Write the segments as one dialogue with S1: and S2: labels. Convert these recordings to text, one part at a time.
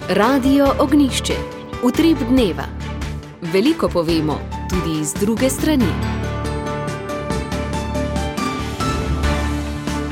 S1: Radio Ognjišče. Utrip dneva. Veliko povemo, tudi iz druge strani.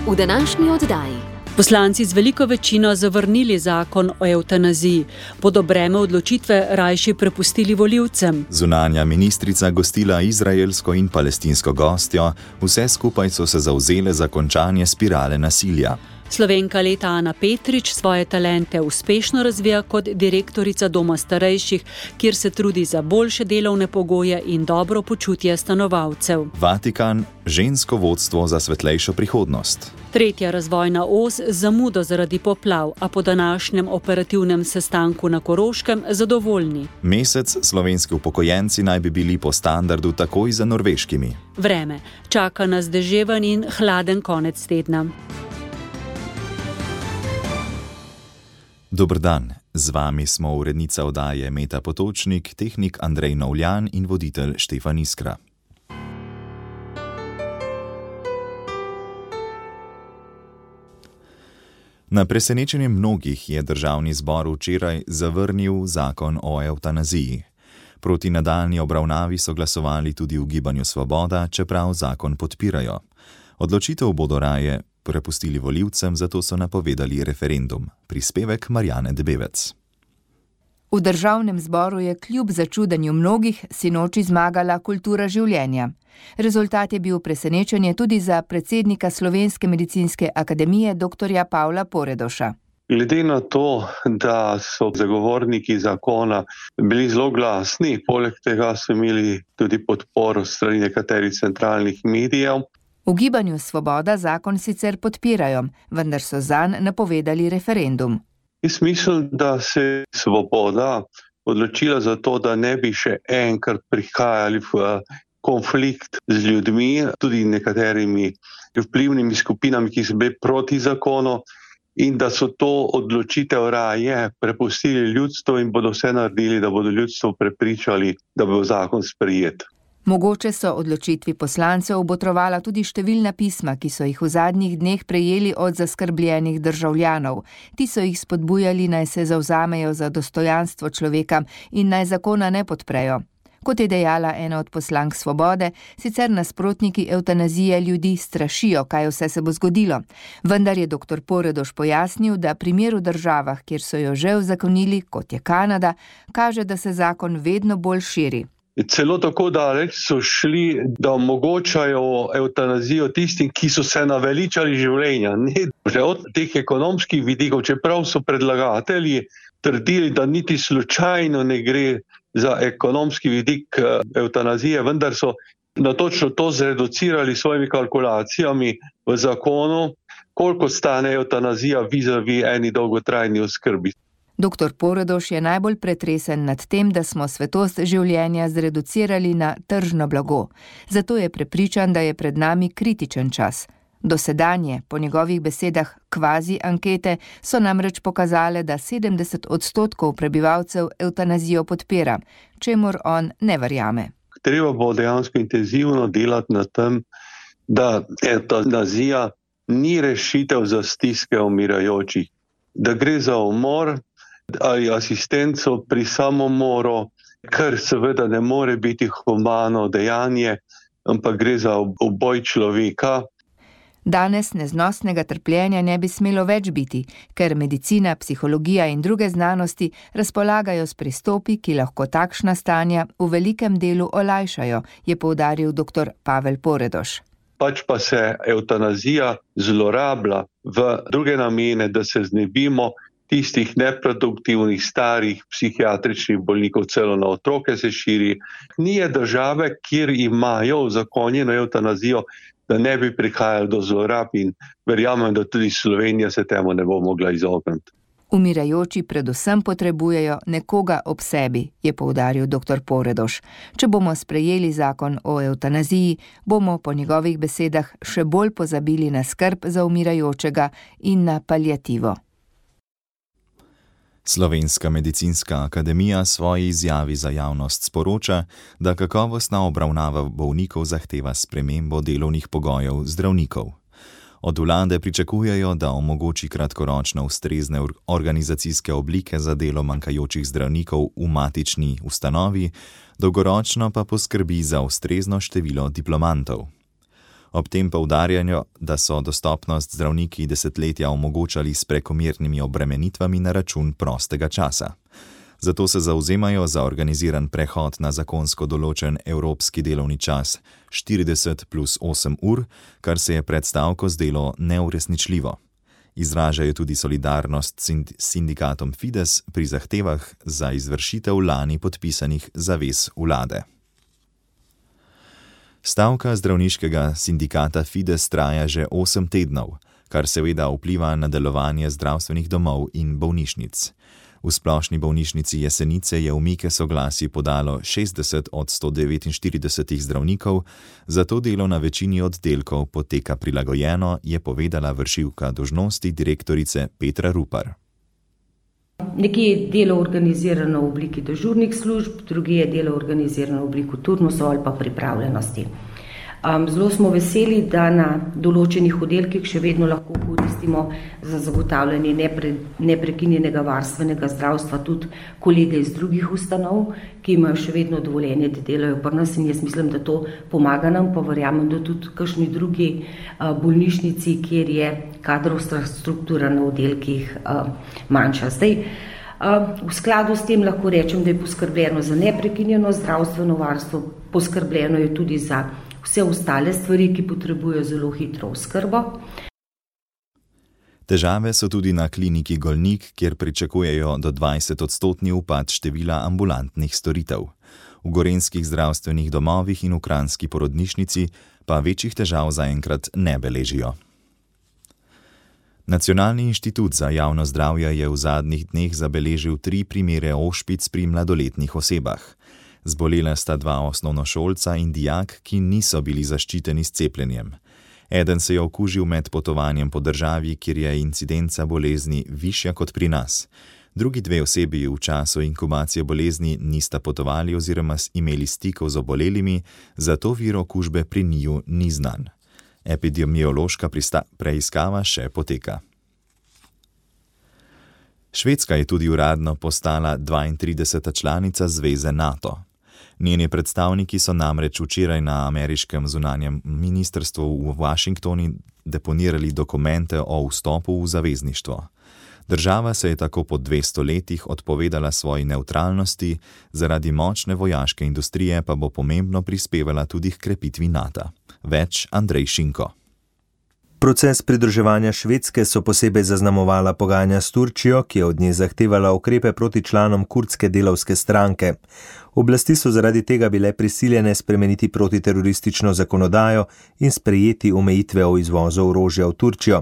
S1: V današnji oddaji.
S2: Poslanci z veliko večino zavrnili zakon o evtanaziji, bodo breme odločitve rajši prepustili volivcem.
S3: Zunanja ministrica gostila izraelsko in palestinsko gostjo, vse skupaj so se zavzele za končanje spirale nasilja.
S2: Slovenka leta Ana Petrič svoje talente uspešno razvija kot direktorica doma starejših, kjer se trudi za boljše delovne pogoje in dobro počutje stanovalcev.
S3: Vatikan, žensko vodstvo za svetlejšo prihodnost.
S2: Tretja razvojna os zamudo zaradi poplav, a po današnjem operativnem sestanku na Koroškem zadovoljni.
S3: Mesec slovenski upokojenci naj bi bili po standardu takoj za norveškimi.
S2: Vreme. Čaka nas deževen in hladen konec tedna.
S3: Dober dan, z vami smo urednica oddaje Meta Potočnik, tehnik Andrej Novljan in voditelj Štefan Iskra. Na presenečenje mnogih je državni zbor včeraj zavrnil zakon o evtanaziji. Proti nadaljnji obravnavi so glasovali tudi v Gibanju Svoboda, čeprav zakon podpirajo. Odločitev bodo raje prepustili volivcem, zato so napovedali referendum. Prispevek Marjane Debevec.
S4: V državnem zboru je kljub začudenju mnogih sinoči zmagala kultura življenja. Rezultat je bil presenečenje tudi za predsednika Slovenske medicinske akademije dr. Pavla Poredoša.
S5: Glede na to, da so zagovorniki zakona bili zelo glasni, poleg tega so imeli tudi podporo strani nekaterih centralnih medijev.
S4: V Gibanju Svoboda zakon sicer podpirajo, vendar so zanj napovedali referendum.
S5: Jaz mislim, da se Svoboda odločila za to, da ne bi še enkrat prihajali v konflikt z ljudmi, tudi nekaterimi vplivnimi skupinami, ki so bili proti zakonu, in da so to odločitev raje prepustili ljudstvu in bodo vse naredili, da bodo ljudstvo prepričali, da bo zakon sprejet.
S4: Mogoče so odločitvi poslancev obotrovala tudi številna pisma, ki so jih v zadnjih dneh prejeli od zaskrbljenih državljanov. Ti so jih spodbujali, naj se zavzamejo za dostojanstvo človeka in naj zakona ne podprejo. Kot je dejala ena od poslank Svobode, sicer nasprotniki evtanazije ljudi strašijo, kaj vse se bo zgodilo. Vendar je dr. Poredoš pojasnil, da primer v državah, kjer so jo že uzakonili, kot je Kanada, kaže, da se zakon vedno bolj širi.
S5: Celo tako daleč so šli, da omogočajo evtanazijo tistim, ki so se naveličali življenja. Ne, že od teh ekonomskih vidikov, čeprav so predlagatelji trdili, da niti slučajno ne gre za ekonomski vidik evtanazije, vendar so na točno to zreducirali svojimi kalkulacijami v zakonu, koliko stane evtanazija vis-a-vis eni dolgotrajni oskrbi.
S4: Dr. Poredoš je najbolj pretresen nad tem, da smo svetost življenja zreducirali na tržno blago. Zato je prepričan, da je pred nami kritičen čas. Dosedanje, po njegovih besedah, kvazi ankete so namreč pokazale, da 70% prebivalcev evtanazijo podpira, čemur on ne verjame.
S5: Treba bo dejansko intenzivno delati na tem, da evtanazija ni rešitev za stiske umirajočih, da gre za umor ali asistenco pri samomoru, kar seveda ne more biti humano dejanje, ampak gre za uboj človeka.
S4: Danes neznosnega trpljenja ne bi smelo več biti, ker medicina, psihologija in druge znanosti razpolagajo s pristopi, ki lahko takšna stanja v velikem delu olajšajo, je poudaril dr. Pavel Poredoš.
S5: Pač pa se evtanazija zlorablja v druge namene, da se znebimo tistih neproduktivnih, starih psihiatričnih bolnikov, celo na otroke se širi. Ni države, kjer imajo uzakonjeno evtanazijo, da ne bi prihajalo do zlorab in verjamem, da tudi Slovenija se temu ne bo mogla izogniti.
S4: Umirajoči predvsem potrebujejo nekoga ob sebi, je poudaril dr. Poredoš. Če bomo sprejeli zakon o evtanaziji, bomo po njegovih besedah še bolj pozabili na skrb za umirajočega in na paliativo.
S3: Slovenska medicinska akademija svoji izjavi za javnost sporoča, da kakovostna obravnava bolnikov zahteva spremembo delovnih pogojev zdravnikov. Od vlade pričakujejo, da omogoči kratkoročno ustrezne organizacijske oblike za delo manjkajočih zdravnikov v matični ustanovi, dolgoročno pa poskrbi za ustrezno število diplomantov. Ob tem poudarjajo, da so dostopnost zdravniki desetletja omogočali s prekomernimi obremenitvami na račun prostega časa. Zato se zavzemajo za organiziran prehod na zakonsko določen evropski delovni čas 40+8 ur, kar se je pred stavko zdelo neuresničljivo. Izražajo tudi solidarnost s sindikatom Fides pri zahtevah za izvršitev lani podpisanih zavez vlade. Stavka zdravniškega sindikata Fides traja že 8 tednov, kar seveda vpliva na delovanje zdravstvenih domov in bolnišnic. V splošni bolnišnici Jesenice je umike soglasij podalo 60 od 149 zdravnikov, zato delo na večini oddelkov poteka prilagojeno, je povedala vršilka dolžnosti direktorice Petra Rupar.
S6: Nekje je delo organizirano v obliki dežurnih služb, drugi je delo organizirano v obliki turnusov ali pa pripravljenosti. Zelo smo veseli, da na določenih oddelkih še vedno lahko koristimo za zagotavljanje neprekinjenega varstvenega zdravstva tudi kolege iz drugih ustanov, ki imajo še vedno dovoljenje, da delajo pri nas, in jaz mislim, da to pomaga nam, pa verjamem, da tudi kakšni drugi bolnišnici, kjer je kadrovska struktura na oddelkih manjša. Zdaj, v skladu s tem lahko rečem, da je poskrbljeno za neprekinjeno zdravstveno varstvo, poskrbljeno je tudi za vse ostale stvari, ki potrebujejo zelo hitro oskrbo.
S3: Težave so tudi na kliniki Golnik, kjer pričakujejo do 20% upad števila ambulantnih storitev. V gorenjskih zdravstvenih domovih in v kranjski porodnišnici pa večjih težav zaenkrat ne beležijo. Nacionalni inštitut za javno zdravje je v zadnjih dneh zabeležil 3 primere ošpic pri mladoletnih osebah. Zbolela sta 2 osnovnošolca in dijak, ki niso bili zaščiteni s cepljenjem. Eden se je okužil med potovanjem po državi, kjer je incidenca bolezni višja kot pri nas. Drugi 2 osebi v času inkubacije bolezni nista potovali oziroma imeli stikov z obolelimi, zato vir okužbe pri njiju ni znan. Epidemiološka preiskava še poteka. Švedska je tudi uradno postala 32. članica zveze NATO. Njeni predstavniki so namreč včeraj na ameriškem zunanjem ministrstvu v Washingtonu deponirali dokumente o vstopu v zavezništvo. Država se je tako po 200 letih odpovedala svoji nevtralnosti, zaradi močne vojaške industrije pa bo pomembno prispevala tudi k krepitvi NATO. Več Andrej Šinko.
S7: Proces pridruževanja Švedske so posebej zaznamovala pogajanja s Turčijo, ki je od nje zahtevala ukrepe proti članom kurdske delavske stranke. Oblasti so zaradi tega bile prisiljene spremeniti protiteroristično zakonodajo in sprejeti omejitve o izvozu orožja v Turčijo.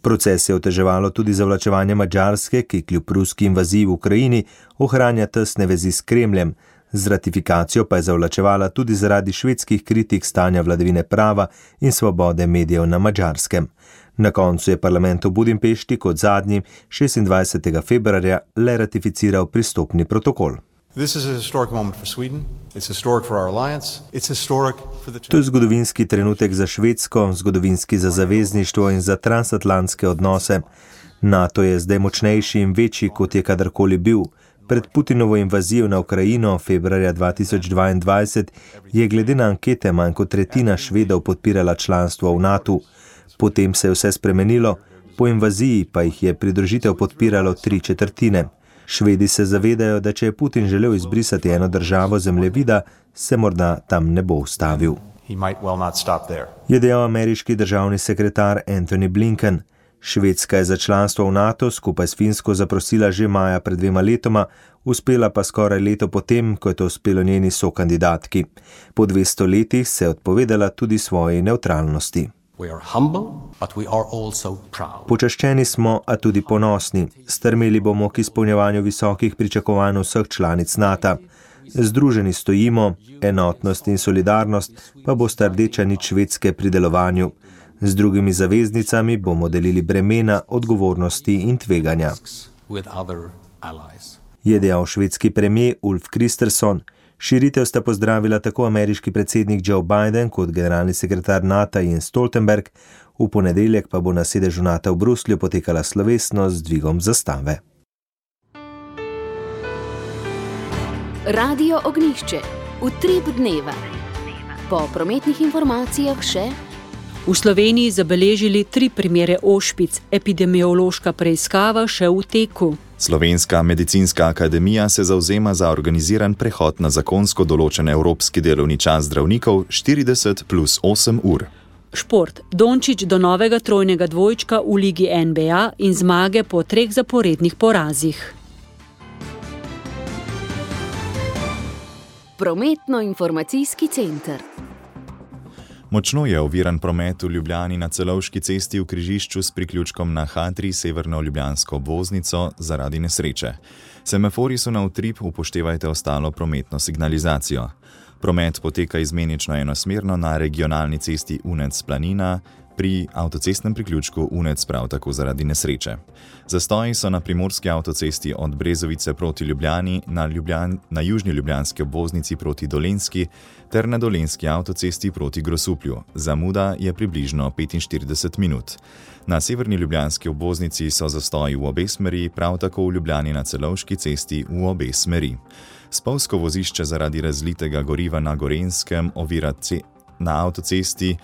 S7: Proces je oteževalo tudi zavlačevanje Madžarske, ki kljub ruski invaziji v Ukrajini ohranja tesne vezi s Kremljem. Z ratifikacijo pa je zavlačevala tudi zaradi švedskih kritik stanja vladavine prava in svobode medijev na Madžarskem. Na koncu je parlament v Budimpešti kot zadnji 26. februarja le ratificiral pristopni protokol. To je zgodovinski trenutek za Švedsko, zgodovinski za zavezništvo in za transatlantske odnose. NATO je zdaj močnejši in večji, kot je kadarkoli bil. Pred Putinovo invazijo na Ukrajino februarja 2022 je glede na ankete manj kot tretjina Švedov podpirala članstvo v NATO. Potem se je vse spremenilo, po invaziji pa jih je pridružitev podpiralo 3/4. Švedi se zavedajo, da če je Putin želel izbrisati eno državo zemljevida, se morda tam ne bo ustavil. Je dejal ameriški državni sekretar Antony Blinken. Švedska je za članstvo v NATO skupaj s Finsko zaprosila že maja pred 2 letoma, uspela pa skoraj leto potem, ko je to uspelo njeni sokandidatki. Po 200 letih se je odpovedala tudi svoji nevtralnosti. Počaščeni smo, a tudi ponosni. Strmeli bomo k izpolnjevanju visokih pričakovanj vseh članic NATO. Združeni stojimo, enotnost in solidarnost pa bosta rdeča nit Švedske pri delovanju. Z drugimi zaveznicami bomo delili bremena, odgovornosti in tveganja. Je dejal švedski premijer Ulf Kristersson. Širitev sta pozdravila tako ameriški predsednik Joe Biden kot generalni sekretar NATO Jens Stoltenberg, v ponedeljek pa bo na sedežu NATO v Bruslju potekala slovesnost z dvigom zastave.
S1: Radio Ognjišče, utrip dneva. Po prometnih informacijah še:
S2: v Sloveniji zabeležili 3 primere ošpic, epidemiološka preiskava še v teku.
S3: Slovenska medicinska akademija se zavzema za organiziran prehod na zakonsko določen evropski delovni čas zdravnikov 40 plus 8 ur.
S2: Šport. Dončić do novega trojnega dvojčka v ligi NBA in zmage po 3 zaporednih porazih.
S1: Prometno-informacijski center.
S3: Močno je oviran promet v Ljubljani na Celovški cesti v križišču s priključkom na H3 severno ljubljansko obvoznico zaradi nesreče. Semafori so na utrip, upoštevajte ostalo prometno signalizacijo. Promet poteka izmenično enosmerno na regionalni cesti Unec-Planina, pri avtocestnem priključku Unec prav tako zaradi nesreče. Zastoji so na primorski avtocesti od Brezovice proti Ljubljani, na južni ljubljanski obvoznici proti Dolenjski ter na dolenjski avtocesti proti Grosuplju. Zamuda je približno 45 minut. Na severni ljubljanski obvoznici so zastoji v obe smeri, prav tako v Ljubljani na Celovški cesti v obe smeri. Spolzko vozišče zaradi razlitega goriva na Gorenjskem ovira na avtocesti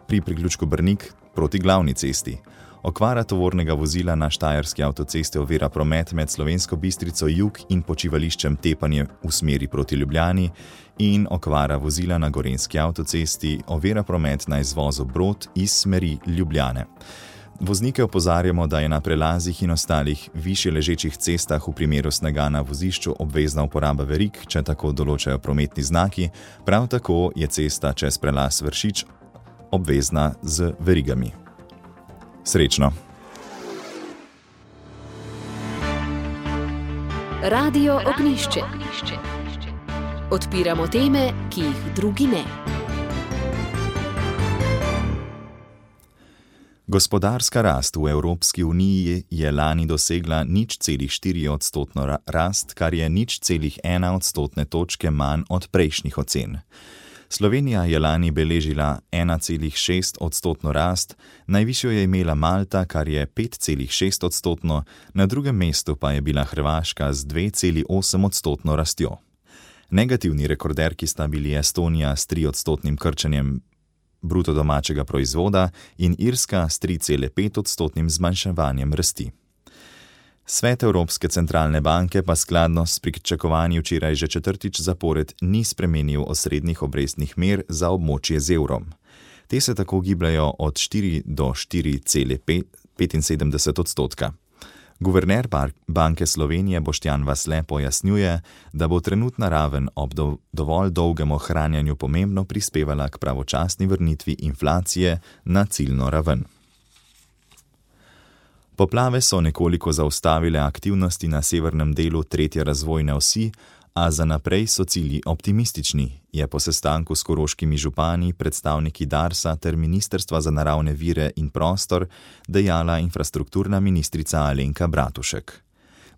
S3: pri priključku Brnik proti glavni cesti. Okvara tovornega vozila na štajerski avtocesti ovira promet med Slovensko Bistrico jug in počivališčem Tepanje v smeri proti Ljubljani in okvara vozila na gorenjski avtocesti ovira promet na izvozu Brod iz smeri Ljubljane. Voznike opozarjamo, da je na prelazih in ostalih višje ležečih cestah v primeru snega na vozišču obvezna uporaba verig, če tako določajo prometni znaki, prav tako je cesta čez prelaz Vršič obvezna z verigami. Srečno!
S1: Radio Ognjišče. Odpiramo teme, ki jih drugi ne.
S3: Gospodarska rast v Evropski uniji je lani dosegla 0,4% rast, kar je 0,1 odstotne točke manj od prejšnjih ocen. Slovenija je lani beležila 1,6 odstotno rast, najvišjo je imela Malta, kar je 5,6 odstotno, na drugem mestu pa je bila Hrvaška z 2,8 odstotno rastjo. Negativni rekorderki sta bili Estonija s 3 odstotnim krčenjem bruto domačega proizvoda in Irska s 3,5 odstotnim zmanjševanjem rasti. Svet Evropske centralne banke pa skladno s pričakovanji včeraj že 4. zapored ni spremenil osrednjih obrestnih mer za območje z evrom. Te se tako gibljajo od 4 do 4,75 odstotka. Guverner Banke Slovenije Boštjan Vasle pojasnjuje, da bo trenutna raven ob dovolj dolgem ohranjanju pomembno prispevala k pravočasni vrnitvi inflacije na ciljno raven. Poplave so nekoliko zaustavile aktivnosti na severnem delu 3. razvojne osi, a za naprej so cilji optimistični, je po sestanku s koroškimi župani, predstavniki Darsa ter Ministrstva za naravne vire in prostor dejala infrastrukturna ministrica Alenka Bratušek.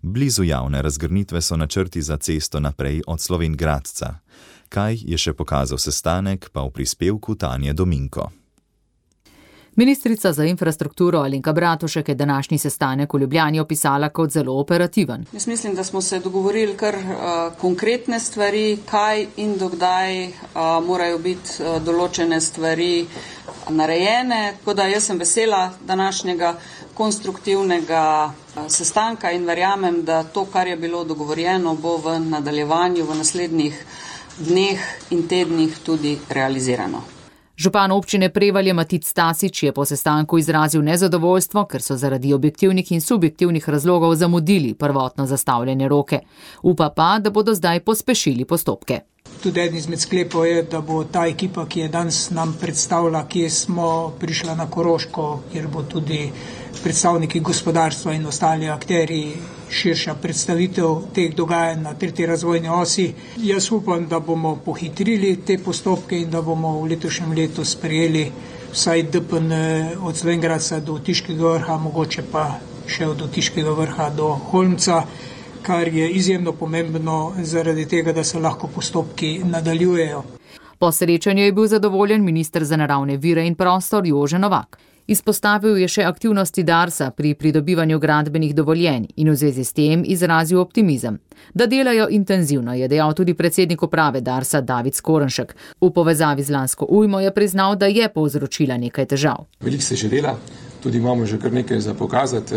S3: Blizu javne razgrnitve so načrti za cesto naprej od Slovenj Gradca. Kaj je še pokazal sestanek, pa v prispevku Tanje Dominko.
S8: Ministrica za infrastrukturo Alenka Bratušek je današnji sestanek v Ljubljani opisala kot zelo operativen.
S9: Jaz mislim, da smo se dogovorili kar konkretne stvari, kaj in dokdaj morajo biti določene stvari narejene. Tako da jaz sem vesela današnjega konstruktivnega sestanka in verjamem, da to, kar je bilo dogovorjeno, bo v nadaljevanju v naslednjih dneh in tednih tudi realizirano.
S8: Župan občine Prevalje Matic Stasič je po sestanku izrazil nezadovoljstvo, ker so zaradi objektivnih in subjektivnih razlogov zamudili prvotno zastavljene roke. Upa pa, da bodo zdaj pospešili postopke.
S10: Tudi eden izmed sklepov je, da bo ta ekipa, ki je danes nam predstavila, kje smo prišla na Koroško, kjer bo tudi predstavniki gospodarstva in ostali akteri, širša predstavitev teh dogajanj na 3. razvojni osi. Jaz upam, da bomo pohitrili te postopke in da bomo v letošnjem letu sprejeli vsaj DPN od Slovenj Gradca do Otiškega vrha, mogoče pa še od Otiškega vrha do Holmca. kar je izjemno pomembno zaradi tega, da se lahko postopki nadaljujejo.
S8: Po srečanju je bil zadovoljen minister za naravne vire in prostor Jože Novak. Izpostavil je še aktivnosti Darsa pri pridobivanju gradbenih dovoljenj in v zvezi s tem izrazil optimizem. Da delajo intenzivno, je dejal tudi predsednik uprave Darsa David Skorenšek. V povezavi z lansko ujmo je priznal, da je povzročila nekaj težav.
S11: Veliko se že dela, tudi imamo že kar nekaj za pokazati.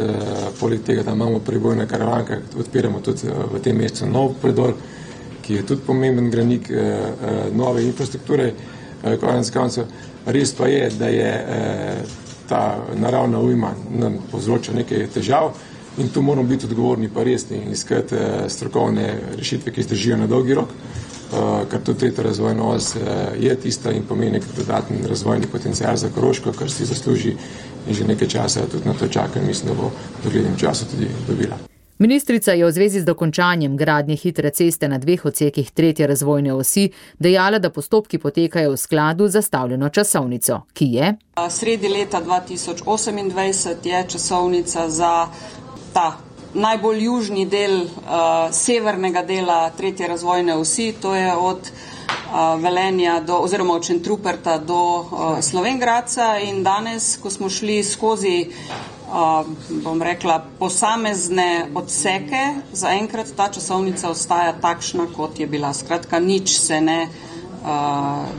S11: Poleg tega, da imamo prebojne karavanke, odpiramo tudi v tem mesecu nov predor, ki je tudi pomemben granik nove infrastrukture. Konec koncev, res pa je, da je ta naravna ujma nam povzroča nekaj težav in tu moramo biti odgovorni pa resni in iskati strokovne rešitve, ki zdržijo na dolgi rok, ker tudi tretja razvojna os je tista in pomeni dodatni razvojni potencial za Koroško, kar si zasluži in že nekaj časa tudi na to čaka in mislim, da bo v doglednem času tudi dobila.
S8: Ministrica je v zvezi z dokončanjem gradnje hitre ceste na 2 odsekih tretje razvojne osi dejala, da postopki potekajo v skladu z zastavljeno časovnico, ki je
S9: sredi leta 2028 je časovnica za ta najbolj južni del severnega dela tretje razvojne osi, to je od Velenja oziroma od Šentruperta do Slovenj Gradca in danes, ko smo šli skozi bom rekla, posamezne odseke, zaenkrat ta časovnica ostaja takšna, kot je bila. Skratka, nič se ne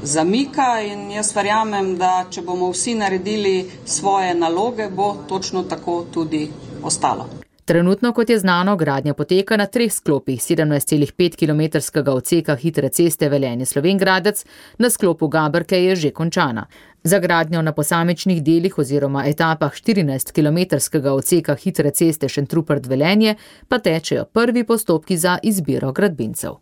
S9: zamika in jaz verjamem, da če bomo vsi naredili svoje naloge, bo točno tako tudi ostalo.
S8: Trenutno, kot je znano, gradnja poteka na 3 sklopih 17,5 kilometrskega odseka hitre ceste Velenje-Slovenj Gradec, na sklopu Gaberke je že končana. Za gradnjo na posamičnih delih oziroma etapah 14-kilometrskega odseka hitre ceste Šentrupert-Velenje pa tečejo prvi postopki za izbiro gradbincev.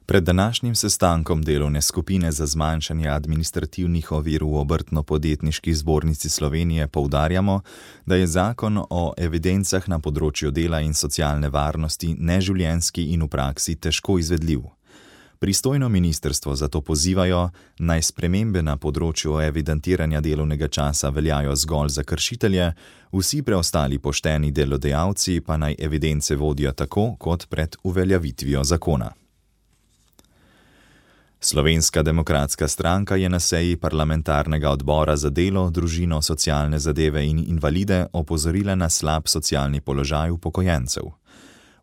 S3: Pred današnjim sestankom delovne skupine za zmanjšanje administrativnih ovir v Obrtno-podjetniški zbornici Slovenije poudarjamo, da je zakon o evidencah na področju dela in socialne varnosti neživljenjski in v praksi težko izvedljiv. Pristojno ministrstvo zato pozivajo, naj spremembe na področju evidentiranja delovnega časa veljajo zgolj za kršitelje, vsi preostali pošteni delodajalci pa naj evidence vodijo tako, kot pred uveljavitvijo zakona. Slovenska demokratska stranka je na seji parlamentarnega odbora za delo, družino, socialne zadeve in invalide opozorila na slab socialni položaj upokojencev.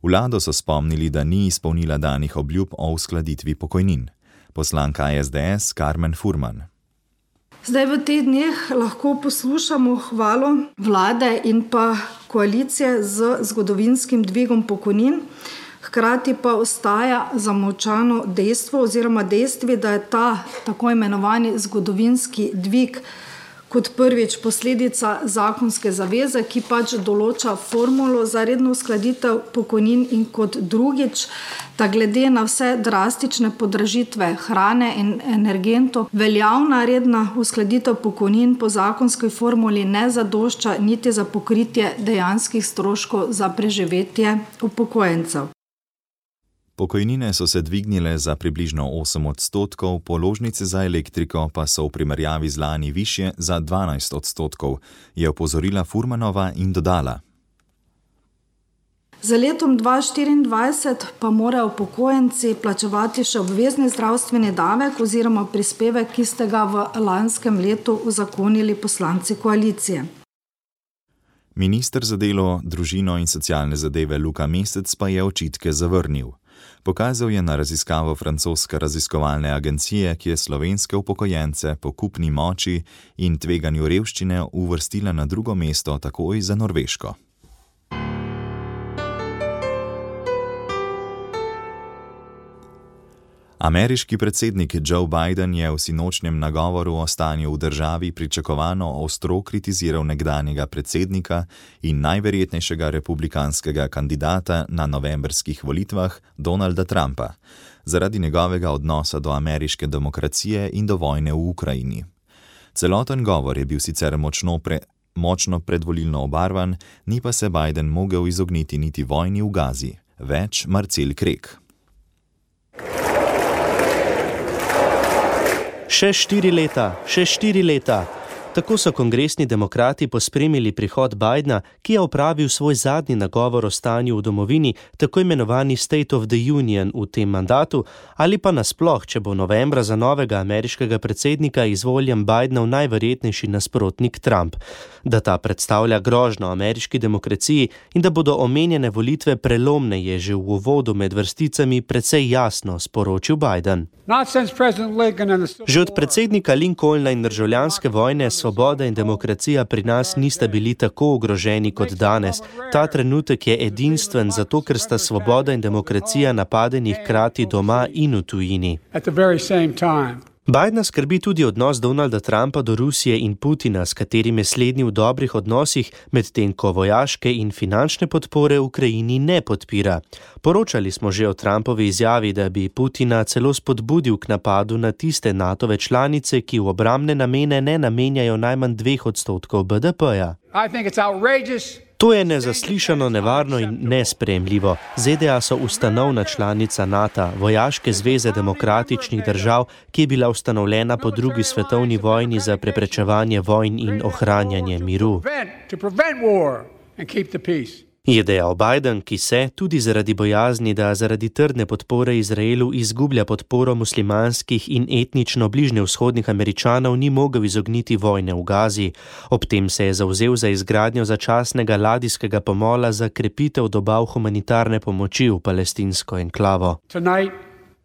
S3: Vlado so spomnili, da ni izpolnila danih obljub o uskladitvi pokojnin. Poslanka SDS Karmen Furman.
S12: Zdaj v teh dneh lahko poslušamo hvalo vlade in pa koalicije z zgodovinskim dvigom pokojnin. Hkrati pa ostaja zamolčano dejstvo oziroma dejstvi, da je ta tako imenovani zgodovinski dvig kot prvič posledica zakonske zaveze, ki pač določa formulo za redno uskladitev pokojnin in kot drugič, da glede na vse drastične podražitve hrane in energentov, veljavna redna uskladitev pokojnin po zakonski formuli ne zadošča niti za pokritje dejanskih stroškov za preživetje upokojencev.
S3: Pokojnine so se dvignile za približno 8%, položnice za elektriko pa so v primerjavi z lani višje za 12%, je opozorila Furmanova in dodala.
S12: Za letom 2024 pa morajo upokojenci plačevati še obvezni zdravstveni davek oziroma prispevek, ki ste ga v lanskem letu uzakonili poslanci koalicije.
S3: Minister za delo, družino in socialne zadeve Luka Mesec pa je očitke zavrnil. Pokazal je na raziskavo francoske raziskovalne agencije, ki je slovenske upokojence po kupni moči in tveganju revščine uvrstila na drugo mesto takoj za Norveško. Ameriški predsednik Joe Biden je v sinočnjem nagovoru o stanju v državi pričakovano ostro kritiziral nekdanjega predsednika in najverjetnejšega republikanskega kandidata na novembrskih volitvah Donalda Trumpa zaradi njegovega odnosa do ameriške demokracije in do vojne v Ukrajini. Celoten govor je bil sicer močno predvolilno obarvan, ni pa se Biden mogel izogniti niti vojni v Gazi. Več Marcel Krek.
S13: Še 4 leta, Tako so kongresni demokrati pospremili prihod Bidena, ki je opravil svoj zadnji nagovor o stanju v domovini, tako imenovani State of the Union v tem mandatu, ali pa nasploh, če bo novembra za novega ameriškega predsednika izvoljen Bidenov najverjetnejši nasprotnik Trump, da ta predstavlja grožnjo ameriški demokraciji in da bodo omenjene volitve prelomne, je že v uvodu med vrsticami precej jasno sporočil Biden. Že od predsednika Lincolna in državljanske vojne svoboda in demokracija pri nas nista bili tako ogroženi kot danes. Ta trenutek je edinstven zato, ker sta svoboda in demokracija napadeni hkrati doma in v tujini. Bidena skrbi tudi odnos Donalda Trumpa do Rusije in Putina, s katerim je slednji v dobrih odnosih, medtem ko vojaške in finančne podpore Ukrajini ne podpira. Poročali smo že o Trumpovi izjavi, da bi Putina celo spodbudil k napadu na tiste NATO-ve članice, ki v obrambne namene ne namenjajo najmanj 2% BDP-ja. To je nezaslišano, nevarno in nesprejemljivo. ZDA so ustanovna članica NATO, vojaške zveze demokratičnih držav, ki je bila ustanovljena po drugi svetovni vojni za preprečevanje vojn in ohranjanje miru. Je dejal Biden, ki se, tudi zaradi bojazni, da zaradi trdne podpore Izraelu izgublja podporo muslimanskih in etnično bližnjevzhodnih Američanov, ni mogel izogniti vojne v Gazi. Ob tem se je zavzel za izgradnjo začasnega ladijskega pomola za krepitev dobav humanitarne pomoči v palestinsko enklavo.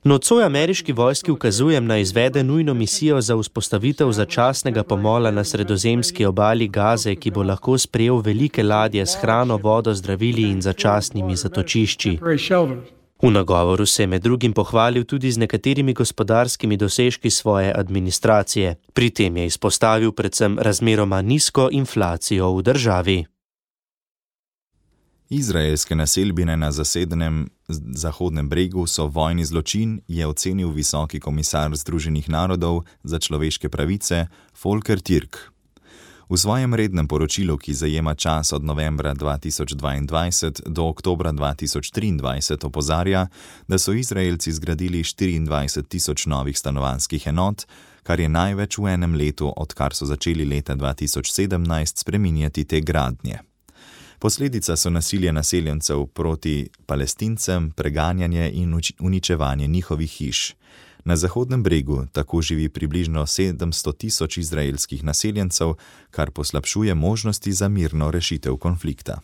S13: Nocoj ameriški vojski ukazujem na izvede nujno misijo za vzpostavitev začasnega pomola na sredozemski obali Gaze, ki bo lahko sprejel velike ladje s hrano, vodo, zdravili in začasnimi zatočišči. V nagovoru se je med drugim pohvalil tudi z nekaterimi gospodarskimi dosežki svoje administracije. Pri tem je izpostavil predvsem razmeroma nizko inflacijo v državi.
S3: Izraelske naselbine na zasedenem Zahodnem bregu so vojni zločin, je ocenil visoki komisar Združenih narodov za človeške pravice Volker Türk. V svojem rednem poročilu, ki zajema čas od novembra 2022 do oktobra 2023, opozarja, da so Izraelci zgradili 24.000 novih stanovanjskih enot, kar je največ v enem letu, odkar so začeli leta 2017 spreminjati te gradnje. Posledica so nasilje naseljencev proti Palestincem, preganjanje in uničevanje njihovih hiš. Na Zahodnem bregu tako živi približno 700.000 izraelskih naseljencev, kar poslabšuje možnosti za mirno rešitev konflikta.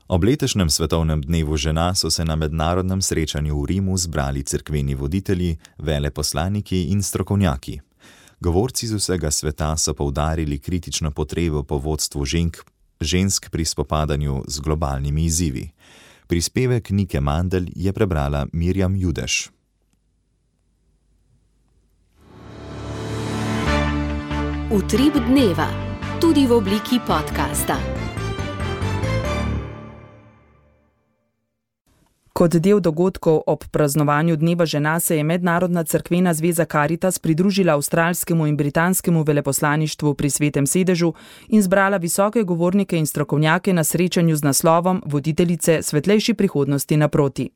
S3: Ob letošnjem svetovnem dnevu žena so se na mednarodnem srečanju v Rimu zbrali cerkveni voditelji, veleposlaniki in strokovnjaki. Govorci z vsega sveta so poudarili kritično potrebo po vodstvu žensk pri spopadanju z globalnimi izzivi. Prispevek Nike Mandl je prebrala Mirjam Judeš.
S1: Utrip dneva, tudi v obliki podcasta.
S14: Kot del dogodkov ob praznovanju Dneva žena se je Mednarodna cerkvena zveza Caritas pridružila avstralskemu in britanskemu veleposlaništvu pri Svetem sedežu in zbrala visoke govornike in strokovnjake na srečanju z naslovom Voditeljice svetlejši prihodnosti naproti.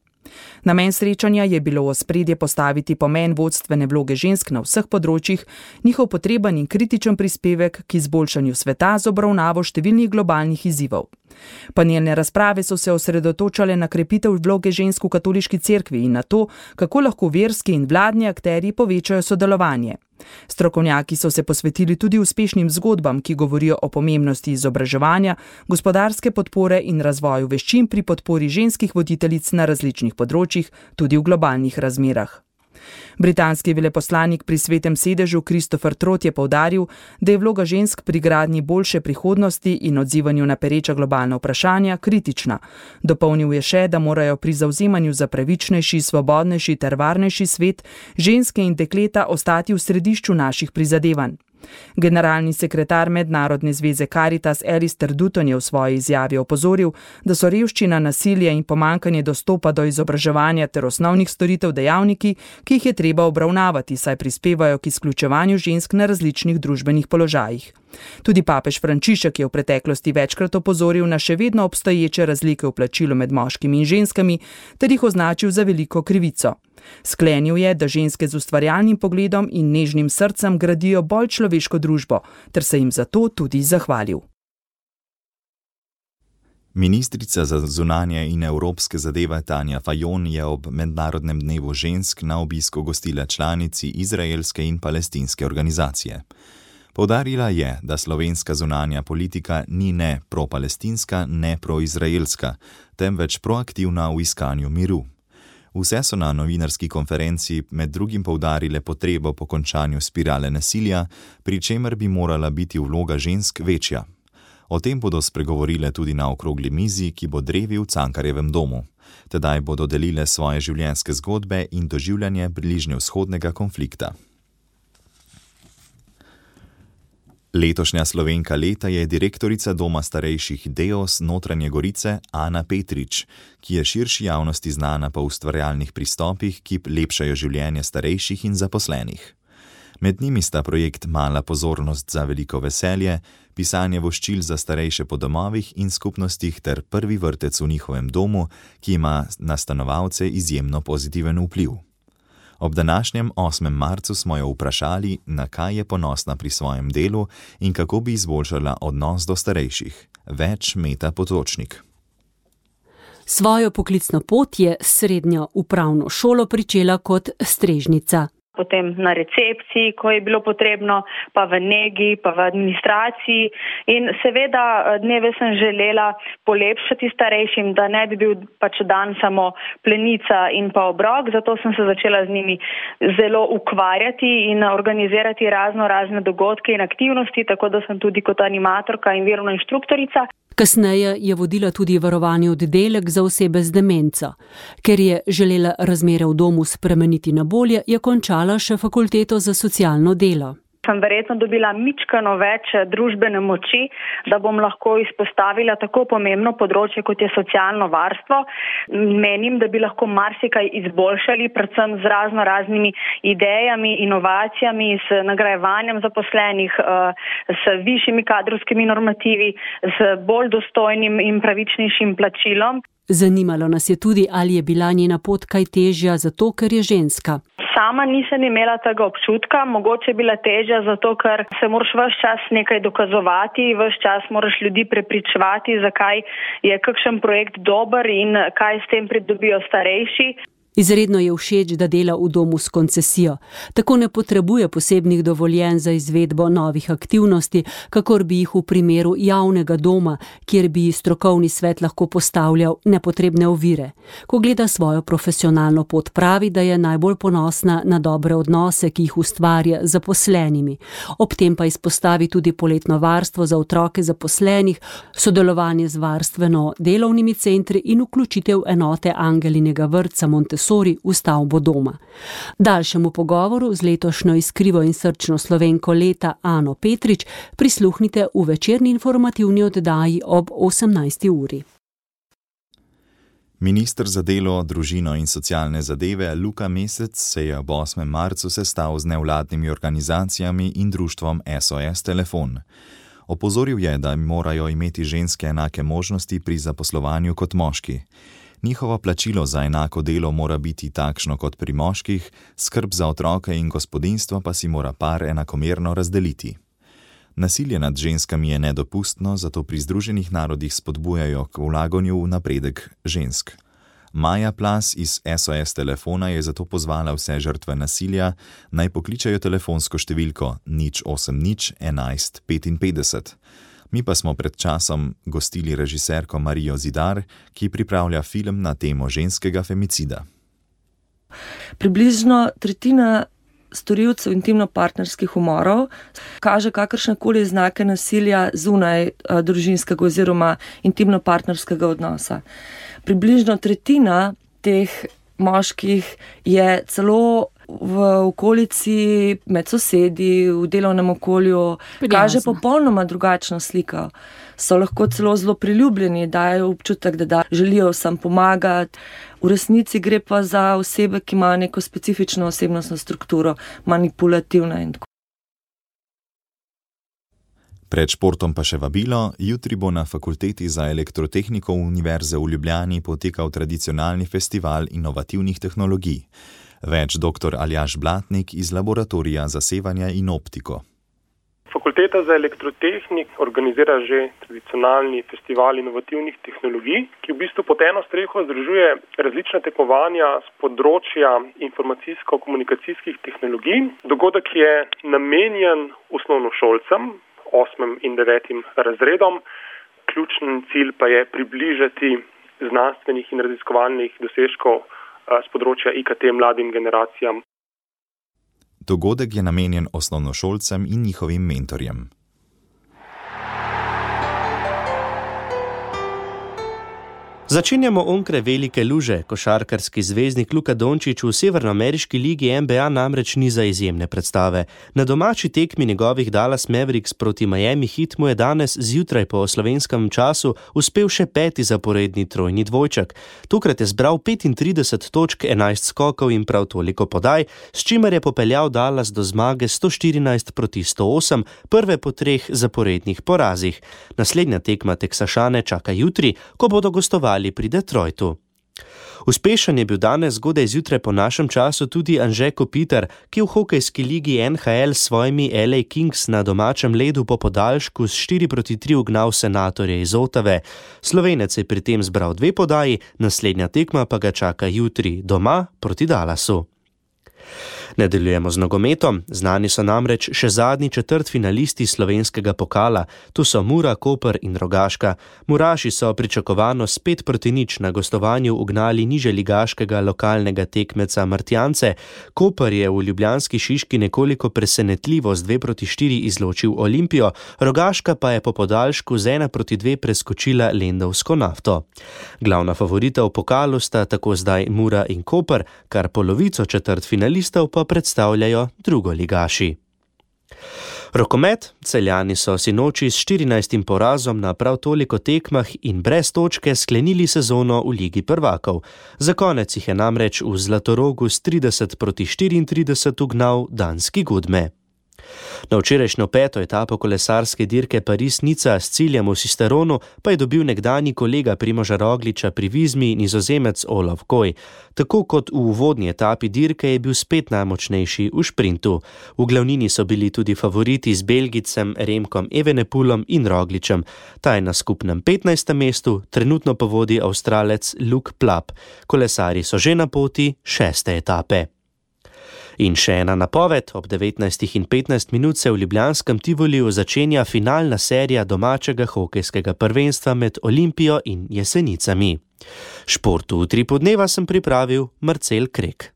S14: Namen srečanja je bilo v ospredje postaviti pomen vodstvene vloge žensk na vseh področjih, njihov potreben in kritičen prispevek k izboljšanju sveta z obravnavo številnih globalnih izzivov. Panelne razprave so se osredotočale na krepitev vloge žensk v katoliški cerkvi in na to, kako lahko verski in vladni akterji povečajo sodelovanje. Strokovnjaki so se posvetili tudi uspešnim zgodbam, ki govorijo o pomembnosti izobraževanja, gospodarske podpore in razvoju veščin pri podpori ženskih voditeljic na različnih področjih, tudi v globalnih razmerah. Britanski veleposlanik pri Svetem sedežu Christopher Trott je poudaril, da je vloga žensk pri gradnji boljše prihodnosti in odzivanju na pereča globalna vprašanja kritična. Dopolnil je še, da morajo pri zavzemanju za pravičnejši, svobodnejši ter varnejši svet ženske in dekleta ostati v središču naših prizadevanj. Generalni sekretar Mednarodne zveze Caritas Alistair Dutton je v svoji izjavi opozoril, da so revščina, nasilje in pomanjkanje dostopa do izobraževanja ter osnovnih storitev dejavniki, ki jih je treba obravnavati, saj prispevajo k izključevanju žensk na različnih družbenih položajih. Tudi papež Frančišek je v preteklosti večkrat opozoril na še vedno obstoječe razlike v plačilu med moškimi in ženskami ter jih označil za veliko krivico. Sklenil je, da ženske z ustvarjalnim pogledom in nežnim srcem gradijo bolj človeško družbo, ter se jim zato tudi zahvalil.
S3: Ministrica za zunanje in evropske zadeve Tanja Fajon je ob Mednarodnem dnevu žensk na obisku gostila članici izraelske in palestinske organizacije. Poudarila je, da slovenska zunanja politika ni ne pro-palestinska, ne pro-izraelska, temveč proaktivna v iskanju miru. Vse so na novinarski konferenci med drugim poudarile potrebo po končanju spirale nasilja, pri čemer bi morala biti vloga žensk večja. O tem bodo spregovorile tudi na okrogli mizi, ki bo drevi v Cankarjevem domu. Tedaj bodo delile svoje življenjske zgodbe in doživljanje bližnjevzhodnega konflikta. Letošnja Slovenka leta je direktorica Doma starejših Deos Notranje Gorice Ana Petrič, ki je širši javnosti znana po ustvarjalnih pristopih, ki lepšajo življenje starejših in zaposlenih. Med njimi sta projekt Mala pozornost za veliko veselje, pisanje voščil za starejše po domovih in skupnostih ter prvi vrtec v njihovem domu, ki ima na stanovalce izjemno pozitiven vpliv. Ob današnjem 8. marcu smo jo vprašali, na kaj je ponosna pri svojem delu in kako bi izboljšala odnos do starejših. Več Meta Potočnik.
S2: Svojo poklicno pot je srednjo upravno šolo pričela kot strežnica.
S15: Potem na recepciji, ko je bilo potrebno, pa v negi, pa v administraciji. In seveda dneve sem želela polepšati starejšim, da ne bi bil pač dan samo plenica in pa obrok, zato sem se začela z njimi zelo ukvarjati in organizirati razne dogodke in aktivnosti, tako da sem tudi kot animatorka in virovna inštruktorica.
S2: Kasneje je vodila tudi varovalni oddelek za osebe z demenco. Ker je želela razmere v domu spremeniti na bolje, je končala še fakulteto za socialno delo.
S15: Sem verjetno dobila mičkano več družbene moči, da bom lahko izpostavila tako pomembno področje, kot je socialno varstvo. Menim, da bi lahko marsikaj izboljšali, predvsem z raznimi idejami, inovacijami, s nagrajevanjem zaposlenih, s višjimi kadrovskimi normativi, z bolj dostojnim in pravičnejšim plačilom.
S2: Zanimalo nas je tudi, ali je bila njena pot kaj težja zato, ker je ženska.
S15: Sama nisem imela tega občutka, mogoče je bila težja zato, ker se moraš ves čas nekaj dokazovati, ves čas moraš ljudi prepričevati, zakaj je kakšen projekt dober in kaj s tem pridobijo starejši.
S2: Izredno je všeč, da dela v domu s koncesijo. Tako ne potrebuje posebnih dovoljenj za izvedbo novih aktivnosti, kakor bi jih v primeru javnega doma, kjer bi strokovni svet lahko postavljal nepotrebne ovire. Ko gleda svojo profesionalno pot, pravi, da je najbolj ponosna na dobre odnose, ki jih ustvarja z zaposlenimi. Ob tem pa izpostavi tudi poletno varstvo za otroke zaposlenih, sodelovanje z varstveno-delovnimi centri in vključitev enote Angelinega vrtca Montessori v stavbo doma. Daljšemu pogovoru z letošnjo iskrivo in srčno Slovenko leta Ano Petrič prisluhnite v večerni informativni oddaji ob 18. uri.
S3: Minister za delo, družino in socialne zadeve Luka Mesec se je ob 8. marcu sestal z nevladnimi organizacijami in društvom SOS Telefon. Opozoril je, da morajo imeti ženske enake možnosti pri zaposlovanju kot moški. Njihovo plačilo za enako delo mora biti takšno kot pri moških, skrb za otroke in gospodinjstvo pa si mora par enakomerno razdeliti. Nasilje nad ženskami je nedopustno, zato pri Združenih narodih spodbujajo k vlaganju v napredek žensk. Maja Plas iz SOS Telefona je zato pozvala vse žrtve nasilja, naj pokličajo telefonsko številko 080 11 55. Mi pa smo pred časom gostili režiserko Marijo Zidar, ki pripravlja film na temo ženskega femicida.
S16: Približno tretjina storilcev intimno-partnerskih umorov kaže kakršnekoli znake nasilja zunaj družinskega oziroma intimno-partnerskega odnosa. Približno tretjina teh moških je celo v okolici, med sosedi, v delovnem okolju, kaže popolnoma drugačno sliko. So lahko celo zelo priljubljeni, dajo občutek, da želijo vsem pomagati. V resnici gre pa za osebe, ki imajo neko specifično osebnostno strukturo, manipulativna in tako.
S3: Pred športom pa še vabilo, jutri bo na Fakulteti za elektrotehniko Univerze v Ljubljani potekal tradicionalni festival inovativnih tehnologij. Več dr. Aljaž Blatnik iz laboratorija za sevanje in optiko.
S17: Fakulteta za elektrotehnik organizira že tradicionalni festival inovativnih tehnologij, ki v bistvu pod eno streho združuje različna tekmovanja z področja informacijsko-komunikacijskih tehnologij. Dogodek je namenjen osnovnošolcem, 8. in 9. razredom. Ključni cilj pa je približati znanstvenih in raziskovalnih dosežkov z področja IKT mladim generacijam.
S3: Dogodek je namenjen osnovnošolcem in njihovim mentorjem.
S13: Začenjamo onkraj velike luže. Košarkarski zvezdnik Luka Dončić v severnoameriški ligi NBA namreč ni za izjemne predstave. Na domači tekmi njegovih Dallas Mavericks proti Miami Heat mu je danes zjutraj po slovenskem času uspel še 5. zaporedni trojni dvojček. Tokrat je zbral 35 točk, 11 skokov in prav toliko podaj, s čimer je popeljal Dallas do zmage 114 proti 108, prve po 3 zaporednih porazih. Naslednja tekma Teksašane čaka jutri, ko bodo gostovali pri Detroitu. Uspešen je bil danes zgodaj zjutraj po našem času tudi Anže Kopitar, ki v hokejski ligi NHL s svojimi LA Kings na domačem ledu po podaljšku s 4-3 ugnal Senatorje iz Otave. Slovenec je pri tem zbral 2 podaji, naslednja tekma pa ga čaka jutri doma proti Dallasu. Nadaljujemo z nogometom. Znani so namreč še zadnji četrtfinalisti slovenskega pokala. Tu so Mura, Koper in Rogaška. Muraši so pričakovano s 5-0 na gostovanju ugnali nižjeligaškega lokalnega tekmeca Martjance. Koper je v ljubljanski Šiški nekoliko presenetljivo z 2-4 izločil Olimpijo, Rogaška pa je po podaljšku z 1-2 preskočila Lendavsko Nafto. Glavna favorita v pokalu sta tako zdaj Mura in Koper, kar polovico četrtfinalistov pa predstavljajo drugoligaši. Rokomet. Celjani so sinoči s 14. porazom na prav toliko tekmah in brez točke sklenili sezono v Ligi prvakov. Za konec jih je namreč v Zlatorogu s 30-34 ugnal danski Gudme. Na včerajšnjo 5. etapo kolesarske dirke Paris-Nica s ciljem v Sisteronu pa je dobil nekdanji kolega Primoža Rogliča pri Vizmi Nizozemec Olaf Koy. Tako kot v uvodni etapi dirke je bil spet najmočnejši v šprintu. V glavnini so bili tudi favoriti z Belgicem Remkom Evenepoelom in Rogličem. Ta je na skupnem 15. mestu, trenutno pa vodi Avstralec Luke Plapp. Kolesarji so že na poti 6. etape. In še ena napoved, ob 19:15 se v ljubljanskem Tivoliju začenja finalna serija domačega hokejskega prvenstva med Olimpijo in Jesenicami. Športu v 3 podneva sem pripravil Marcel Krek.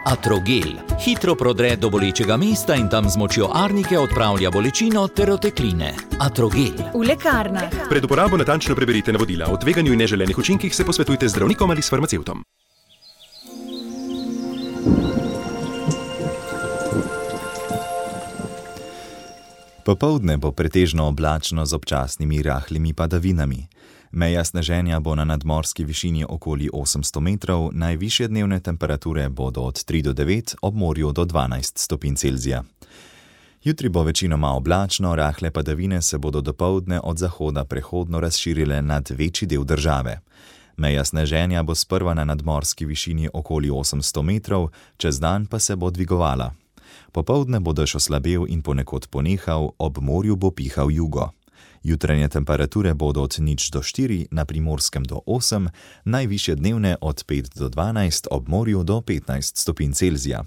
S18: Atrogel hitro prodre do bolečega mesta in tam z močjo arnike odpravlja bolečino ter otekline. Atrogel.
S19: V lekarnah.
S20: Pred uporabo natančno preberite navodila. O tveganju in neželenih učinkih se posvetujte z zdravnikom ali s farmacevtom.
S3: Popoldne bo pretežno oblačno z občasnimi rahlimi padavinami. Meja sneženja bo na nadmorski višini okoli 800 metrov, najvišje dnevne temperature bodo od 3 do 9, ob morju do 12 stopinj Celzija. Jutri bo večinoma oblačno, rahle padavine se bodo dopoldne od zahoda prehodno razširile nad večji del države. Meja sneženja bo sprva na nadmorski višini okoli 800 metrov, čez dan pa se bo dvigovala. Popoldne bo dež oslabel in ponekod ponehal, ob morju bo pihal jugo. Jutranje temperature bodo od 0 do 4, na Primorskem do 8, najvišje dnevne od 5 do 12, ob morju do 15 stopinj Celzija.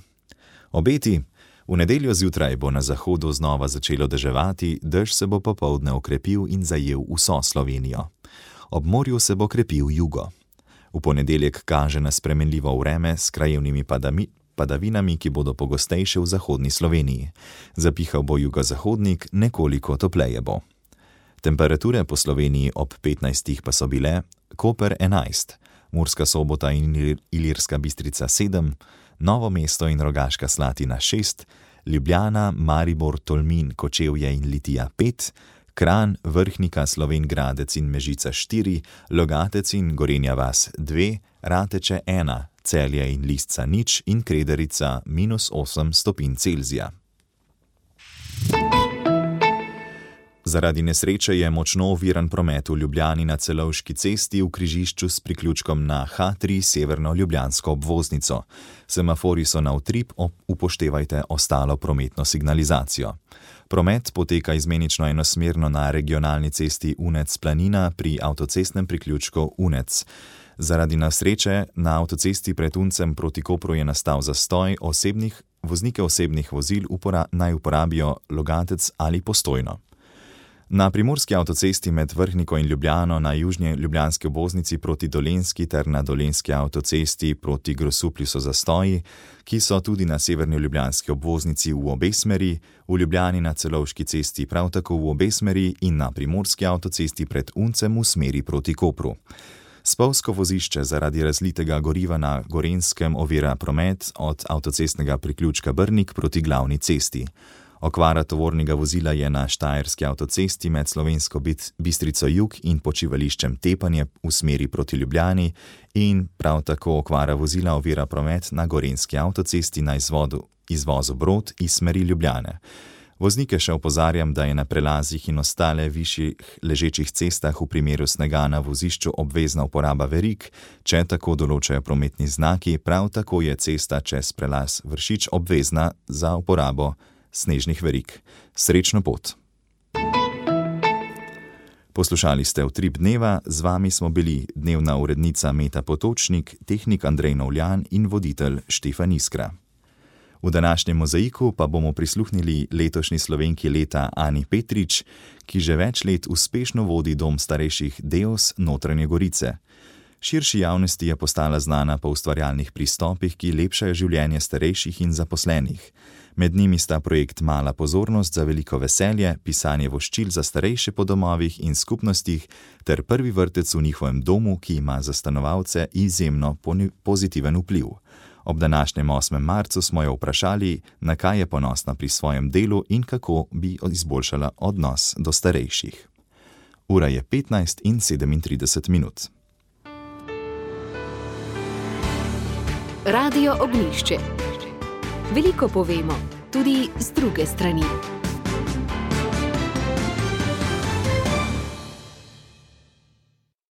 S3: Obeti. V nedeljo zjutraj bo na zahodu znova začelo deževati, dež se bo popoldne okrepil in zajel vso Slovenijo. Ob morju se bo krepil jugo. V ponedeljek kaže na spremenljivo vreme s krajevnimi padavinami, ki bodo pogostejše v zahodni Sloveniji. Zapihal bo jugozahodnik, nekoliko topleje bo. Temperature po Sloveniji ob 15 pa so bile: Koper 11, Murska Sobota in Ilirska Bistrica 7, Novo mesto in Rogaška Slatina 6, Ljubljana, Maribor, Tolmin, Kočevje in Litija 5, Kranj, Vrhnika, Slovenj Gradec in Mežica 4, Logatec in Gorenja vas 2, Rateče 1, Celje in Lisca 0 in Krederica -8 stopinj Celzija. Zaradi nesreče je močno oviran promet v Ljubljani na Celovški cesti v križišču s priključkom na H3 severno ljubljansko obvoznico. Semafori so na utrip, upoštevajte ostalo prometno signalizacijo. Promet poteka izmenično enosmerno na regionalni cesti Unec-Planina pri avtocestnem priključku Unec. Zaradi nesreče na avtocesti pred Uncem proti Kopru je nastal zastoj, voznike osebnih vozil naj uporabijo Logatec ali Postojno. Na primorski avtocesti med Vrhniko in Ljubljano na južnji ljubljanski obvoznici proti Dolenjski ter na dolenjski avtocesti proti Grosuplju so zastoji, ki so tudi na severni ljubljanski obvoznici v obe smeri, v Ljubljani na Celovški cesti prav tako v obe smeri in na primorski avtocesti pred Uncem v smeri proti Kopru. Spolzko vozišče zaradi razlitega goriva na Gorenjskem ovira promet od avtocestnega priključka Brnik proti glavni cesti. Okvara tovornega vozila je na štajerski avtocesti med Slovensko Bistrico Jug in počivališčem Tepanje v smeri proti Ljubljani in prav tako okvara vozila ovira promet na Gorenjski avtocesti na izvozu Brod iz smeri Ljubljane. Voznike še opozarjam, da je na prelazih in ostale višjih ležečih cestah v primeru snega na vozišču obvezna uporaba verig, če tako določajo prometni znaki, prav tako je cesta čez prelaz Vršič obvezna za uporabo snežnih verig. Srečno pot! Poslušali ste Utrip dneva, z vami smo bili dnevna urednica Meta Potočnik, tehnik Andrej Novljan in voditelj Štefan Iskra. V današnjem mozaiku pa bomo prisluhnili letošnji Slovenki leta Ani Petrič, ki že več let uspešno vodi dom starejših Deos Notranje Gorice. Širši javnosti je postala znana po ustvarjalnih pristopih, ki lepšajo življenje starejših in zaposlenih. Med njimi sta projekt Mala pozornost za veliko veselje, pisanje voščil za starejše po domovih in skupnostih ter prvi vrtec v njihovem domu, ki ima za stanovalce izjemno pozitiven vpliv. Ob današnjem 8. marcu smo jo vprašali, na kaj je ponosna pri svojem delu in kako bi izboljšala odnos do starejših. Ura je 15:37.
S1: Radio Ognjišče. Veliko povemo, tudi z druge strani.